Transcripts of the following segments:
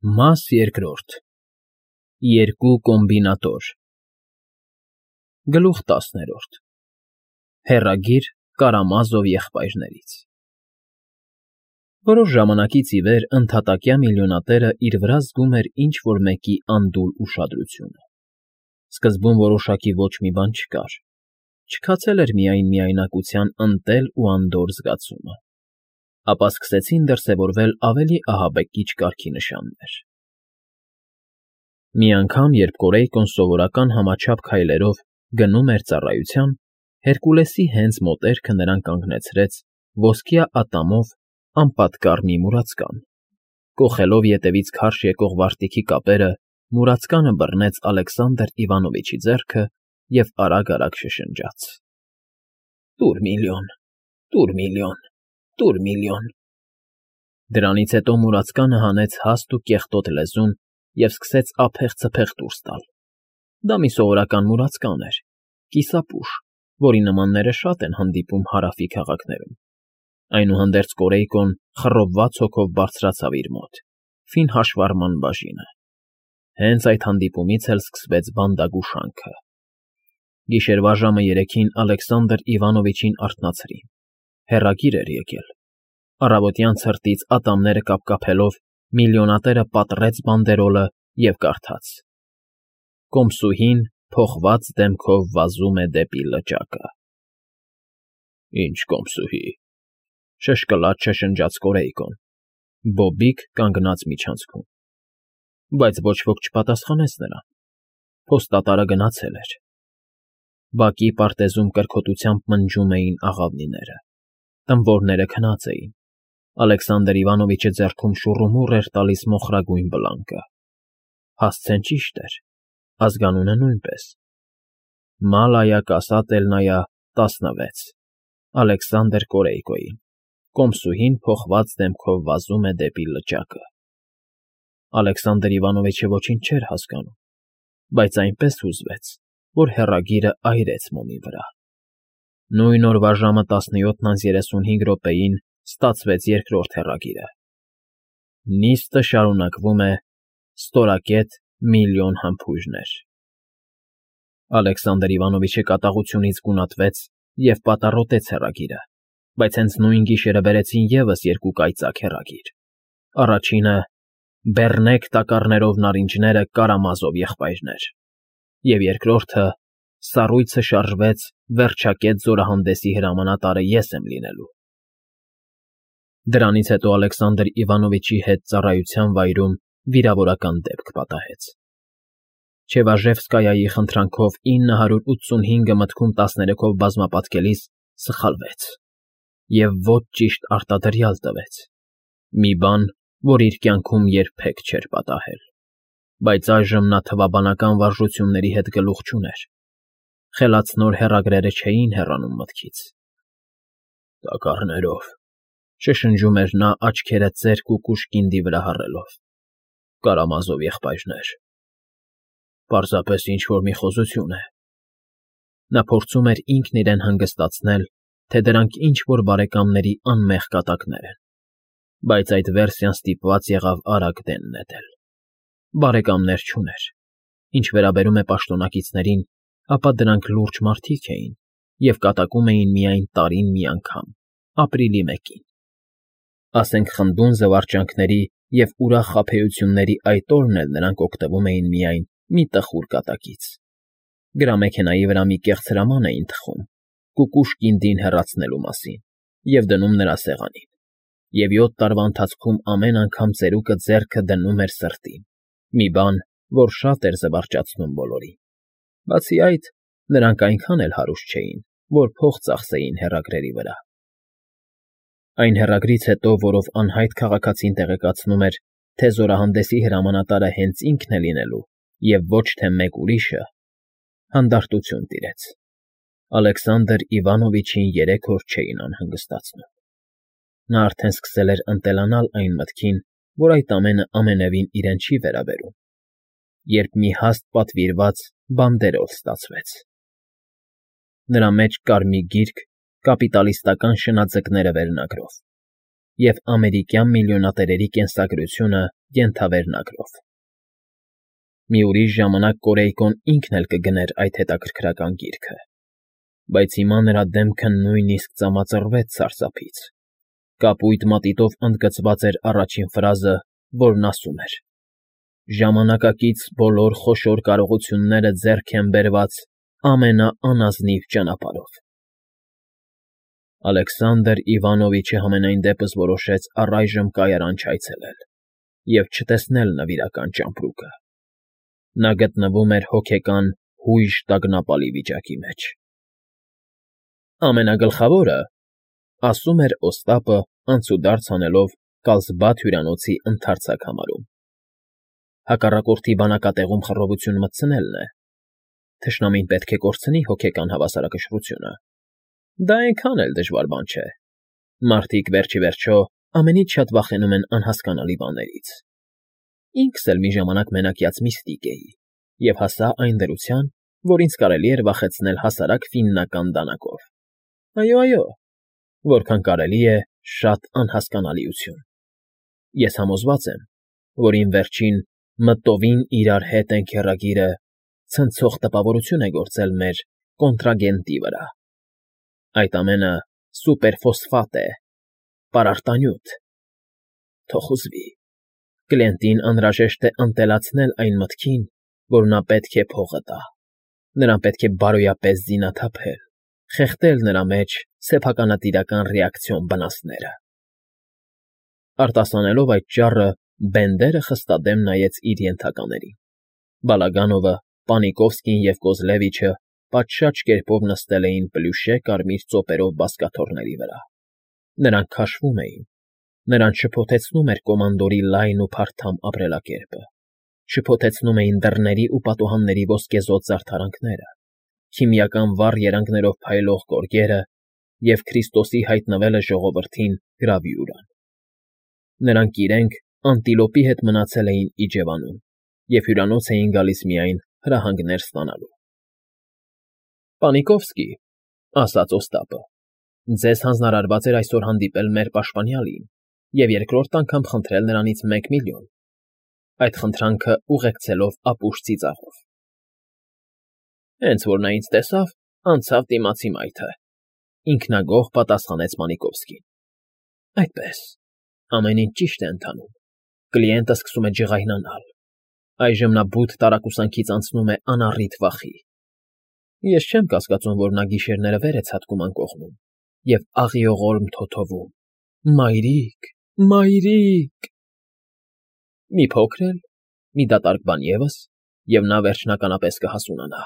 Մաս երկրորդ Երկու կոմբինատոր Գլուխ 10 Հեռագիր Կարամազով եղբայրներից Որոշ ժամանակից ի վեր ընդհատակյա միլիոնատերը իր վրա զգում էր ինչ-որ մեկի անդուլ ուշադրությունը. սկզբում որոշակի ոչ մի բան չկար, չքացել էր միայն միայնակության ընտել ու անդորր զգացումը, ապա սկսեցին դրսևորվել ավելի ահաբեկիչ կարգի նշաններ. Մի անգամ, երբ Կորեյկոն սովորական համաչափ քայլերով գնում էր ծառայության, Հերկուլեսի հենց մոտերքը նրան կանգնեցրեց ոսկյա ատամով անպատկառ մի մուրացկան, կոխելով ետևից քարշ եկող վարտիքի կապերը, մուրացկանը բռնեց Ալեքսանդր Իվանովիչի ձեռքը և արագ֊արագ շշնջաց. «Տուր միլիոն, տուր միլիոն, տուր միլիոն»։ Դրանից հետո մուրացկանը հանեց հաստ ու կեղտոտ լեզուն և սկսեց ափեղ-ցփեղ դուրս տալ. դա մի սովորական մուրացկան էր, կիսապուշ, որի նմանները շատ են հանդիպում Հարավի քաղաքներում. այնուհանդերձ Կորեյկոն խռովված հոգով բարձրացավ իր մոտ, ֆին հաշվառման բաժինը. հենց այդ հանդիպումից էլ սկսվեց բանդագուշանքը. Գիշերվա ժամը 3-ին Ալեքսանդր Իվանովիչին արթնացրին, հեռագիր էր եկել. առավոտյան ցրտից ատամները կապկապելով միլիոնատերը պատռեց բանդերոլը և կարդաց. Կոմսուհին փոխված դեմքով վազում է դեպի լճակը։ «Ինչ կոմսուհի», շշկլաց շշնջաց Կորեյկոն, Բոբիկ կանգնած միջանցքում, բայց ոչ ոք չպատասխանեց նրան, փոստատարը գնացել էր։ Բակի պարտեզում կրքոտությամբ մնջում էին աղավնիները, տմբորները քնած էին, Ալեքսանդր Իվանովիչը ձեռքում շուռումուռ էր տալիս մոխրագույն բլանկը, հասցեն ճիշտ էր, ազգանունը նույնպես. Մալայա Կասատելնայա 16, Ալեքսանդր Կորեյկոյին, կոմսուհին փոխված դեմքով վազում է դեպի լճակը։ Ալեքսանդր Իվանովիչը ոչինչ չէր հասկանում, բայց այնպես հուզվեց, որ հեռագիրը այրեց մոմի վրա։ Նույն օրվա ժամը 17:35 ստացվեց երկրորդ հեռագիրը. Նիստը շարունակվում է, ստորակետ միլիոն համբույրներ։ Ալեքսանդր Իվանովիչը կատաղությունից գունատվեց և պատառոտեց հեռագիրը, բայց հենց նույն գիշերը բերեցին ևս երկու կայծակ հեռագիր. առաջինը «Բեռնեք տակառներով նարինջները Կարամազով եղբայրներ» և երկրորդը «Սառույցը շարժվեց, վերջակետ զորահանդեսի հրամանատարը ես եմ լինելու»։ Դրանից հետո Ալեքսանդր Իվանովիչի հետ ծառայության վայրում վիրավորական դեպք պատահեց։ Չևաժևսկայայի խնդրանքով 985-ը մտքում 13-ով բազմապատկելիս սխալվեց և ոչ ճիշտ արտադրյալ տվեց, մի բան, որ իր կյանքում երբեք չէր պատահել, բայց այժմ նա թվաբանական վարժությունների հետ գլուխ չուներ, խելացնոր հեռագրերը չէին հեռանում մտքից։ «Տակառներով», շշնջում էր նա աչքերը ծերկ ու կուշկինդի վրա հառելով, Կարամազով եղբայրներ։ Պարզապես ինչ֊որ մի խոզություն է։ Նա փորձում էր ինքն իրեն հանգստացնել, թե դրանք ինչ֊որ բարեկամների անմեղ կատակներ են, բայց այդ վերսիան ստիպված եղավ արագ դեն նետել։ Բարեկամներ չուներ։ Ինչ վերաբերում է պաշտոնակիցներին, ապա դրանք լուրջ մարդիկ էին և կատակում էին միայն տարին մի անգամ, ապրիլի 1-ին։ Ասենք խնդուն զվարճանքների և ուրախ խաբեությունների այդ օրն էլ նրանք օգտվում էին միայն մի տխուր կատակից։ Գրամեքենայի վրա մի կեղծ հրաման էին թխում կուկուշ կինդին հեռացնելու մասին և դնում նրա սեղանին, և 7 տարվա ընթացքում ամեն անգամ ծերուկը ձեռքը դնում էր սրտին, մի բան, որ շատ էր զվարճացնում բոլորին։ Բացի այդ, նրանք այնքան էլ հարուստ չէին, որ փող ծախսեին հեռագրերի վրա։ Այն հեռագրից հետո, որով անհայտ քաղաքացին տեղեկացնում էր, թե զորահանդեսի հրամանատարը հենց ինքն է լինելու և ոչ թե մեկ ուրիշը, հանդարտություն տիրեց։ Ալեքսանդր Իվանովիչին 3 օր չէին անհանգստացնում։ Նա արդեն սկսել էր ընտելանալ այն մտքին, որ այդ ամենը ամենևին իրեն չի վերաբերում, երբ մի հաստ պատվիրված բանդերոլ ստացվեց։ Նրա մեջ կար մի գիրք կապիտալիստական շնաձկները վերնագրով և ամերիկյան միլիոնատերերի կենսագրությունը Ենթավերնագրով։ Մի ուրիշ ժամանակ Կորեյկոն ինքն էլ կգներ այդ հետաքրքրական գիրքը, բայց հիմա նրա դեմքը նույնիսկ ծամածռվեց սարսափից։ Կապույտ մատիտով ընդգծված էր առաջին ֆրազը, որն ասում էր. «Ժամանակակից բոլոր խոշոր կարողությունները ձեռք են բերված ամենաանազնիվ ճանապարհով»։ Ալեքսանդր Իվանովիչը համենայն դեպս որոշեց առայժմ կայարան չայցելել և չտեսնել նվիրական ճամպրուկը։ Նա գտնվում էր հոգեկան հույժ տագնապալի վիճակի մեջ։ «Ամենագլխավորը,֊ ասում էր Օստապը, անցուդարձ անելով Կարլսբադ հյուրանոցի ընդարձակ համարում,֊ հակառակորդի բանակատեղում խռովություն մտցնելն է։ Թշնամին պետք է կորցնի հոգեկան հավասարակշռությունը։ Դա այնքան էլ դժվար բան չէ։ Մարդիկ վերջիվերջո ամենից շատ վախենում են անհասկանալի բաներից։ Ինքս էլ մի ժամանակ մենակյաց միստիկ էի և հասա այն դրության, որ ինձ կարելի էր վախեցնել հասարակ ֆիննական դանակով։ Այո, որքան կարելի է շատ անհասկանալիություն։ Ես համոզված եմ, որ իմ վերջին «մտովին իրար հետ ենք» հեռագիրը ցնցող տպավորություն է գործել մեր կոնտրագենտի վրա։ Այդ ամենը սուպերֆոսֆատ է, պարարտանյութ։ Թող ուզվի։ Կլիենտին անհրաժեշտ է ընտելացնել այն մտքին, որ նա պետք է փողը տա։ Նրան պետք է բարոյապես զինաթափել, խեղդել նրա մեջ սեփականատիրական ռեակցիոն վնասները։ Արտասանելով այդ ճառը, Բենդերը խստադեմ նայեց իր ենթականերին։ Բալագանովը, Պանիկովսկին և Կոզլևիչը պատշաճ կերպով նստել էին պլյուշե կարմիր ծոպերով բազկաթոռների վրա։ Նրանք քաշվում էին։ Նրանց շփոթեցնում էր կոմանդորի լայն ու փարթամ ապրելակերպը, շփոթեցնում էին դռների ու պատուհանների ոսկեզօծ զարդարանքները, քիմիական վառ երանգներով փայլող գորգերը և Քրիստոսի հայտնվելը ժողովրդին գրավյուրան։ Նրանք իրենք անտիլոպի հետ մնացել էին իջևանում և հյուրանոց էին գալիս միայն հրահանգներ ստանալու։ Պանիկովսկի, ասաց Օստապը, ձեզ հանձնարարված էր այսօր հանդիպել մեր պաշտպանյալին և երկրորդ անգամ խնդրել նրանից 1 միլիոն, այդ խնդրանքը ուղեկցելով ապուշ ծիծաղով։ Հենց որ նա ինձ տեսավ, անցավ դիմացի մայթը, ինքնագոհ պատասխանեց Պանիկովսկին։ Այդպես, ամեն ինչ ճիշտ է ընթանում։ Կլիենտը սկսում է ջղայնանալ։ Այժմ նա բութ տարակուսանքից անցնում է անառիթ վախի։ Ես չեմ կասկածում, որ նա գիշերները վեր է ցատկում անկողնում և աղիողորմ թոթովում. «Մայրիկ, մայրիկ»։ Մի փոքր էլ, մի դատարկ բան ևս, և նա վերջնականապես կհասունանա։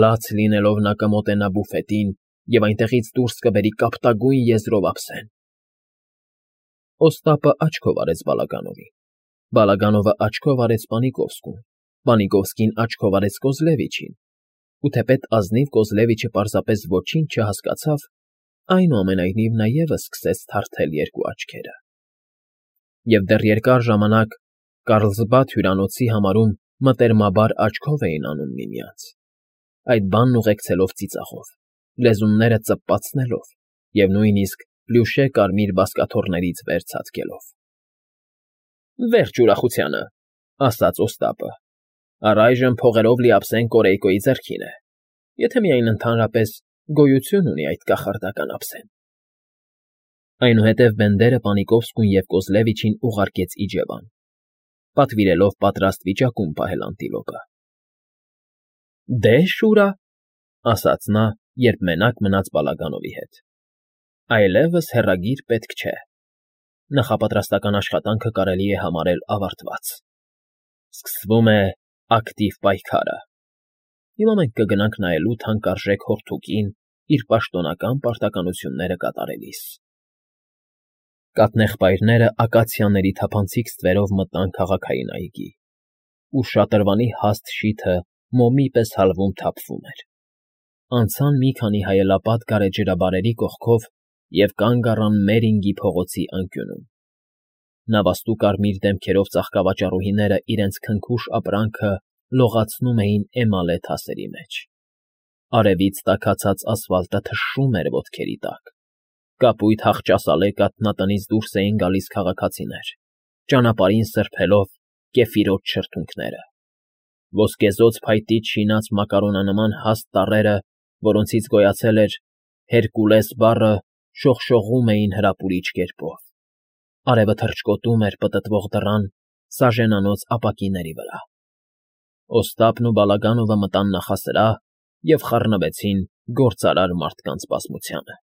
Լաց լինելով նա կմոտենա բուֆետին և այնտեղից դուրս կբերի կապտագույն եզրով ափսեն։ Օստապը աչքով արեց Բալագանովին, Բալագանովը աչքով արեց Պանիկովսկուն, Պանիկովսկին աչքով արեց Կոզլևիչին, ու թեպետ ազնիվ Կոզլևիչը պարզապես ոչինչ չհասկացավ, այնուամենայնիվ նա ևս սկսեց թարթել երկու աչքերը։ Եվ դեռ երկար ժամանակ Կառլսբադ հյուրանոցի համարում մտերմաբար աչքով էին անում միմյանց, այդ բանն ուղեկցելով ծիծաղով, լեզունները ծպպացնելով և նույնիսկ պլյուշե կարմիր բազկաթոռներից վեր ցատկելով։ Վերջ ուրախությանը, ասաց Օստապը, առայժմ փողերով լի ափսեն Կորեյկոյի ձեռքին է, եթե միայն ընդհանրապես գոյություն ունի այդ կախարդական ափսեն։ Այնուհետև Բենդերը Պանիկովսկուն և Կոզլևիչին ուղարկեց իջևան, պատվիրելով պատրաստ վիճակում պահել անտիլոպը։ Դե, Շուրա, ասաց նա, երբ մենակ մնաց Բալագանովի հետ, այլևս հեռագիր պետք չէ։ Նախապատրաստական աշխատանքը կարելի է համարել ավարտված։ Սկսվում է ակտիվ պայքարը։ Հիմա մենք կգնանք նայելու թանկարժեք հոռթուկին իր պաշտոնական պարտականությունները կատարելիս։ Կաթնեղբայրները ակացիաների թափանցիկ ստվերով մտան քաղաքային այգի, ու շատրվանի հաստ շիթը մոմի պես հալվում թափվում էր։ Անցան մի քանի հայելապատ գարեջրաբարերի կողքով և կանգ առան Մերինգի փողոցի անկյունում։ Նավաստու կարմիր դեմքերով ծաղկավաճառուհիները իրենց քնքուշ ապրանքը լողացնում էին էմալե թասերի մեջ։ Արևից տաքացած ասֆալտը թշում էր ոտքերի տակ։ Կապույտ հախճասալե կաթնատնից դուրս էին գալիս քաղաքացիներ։ ճանապարհին սրբելով կեֆիրոտ շրթունքները։ Ոսկեզօծ փայտից շինած մակարոնանման հաստ տառերը, որոնցից գոյացել էր «Հերկուլես» բառը, շողշողում էին հրապուրիչ կերպով։ Արևը թռչկոտում էր պտտվող դռան սաժենանոց ապակիների վրա։ Օստապն ու Բալագանովը մտան նախասրահ և խառնվեցին գործարար մարդկանց բազմությանը։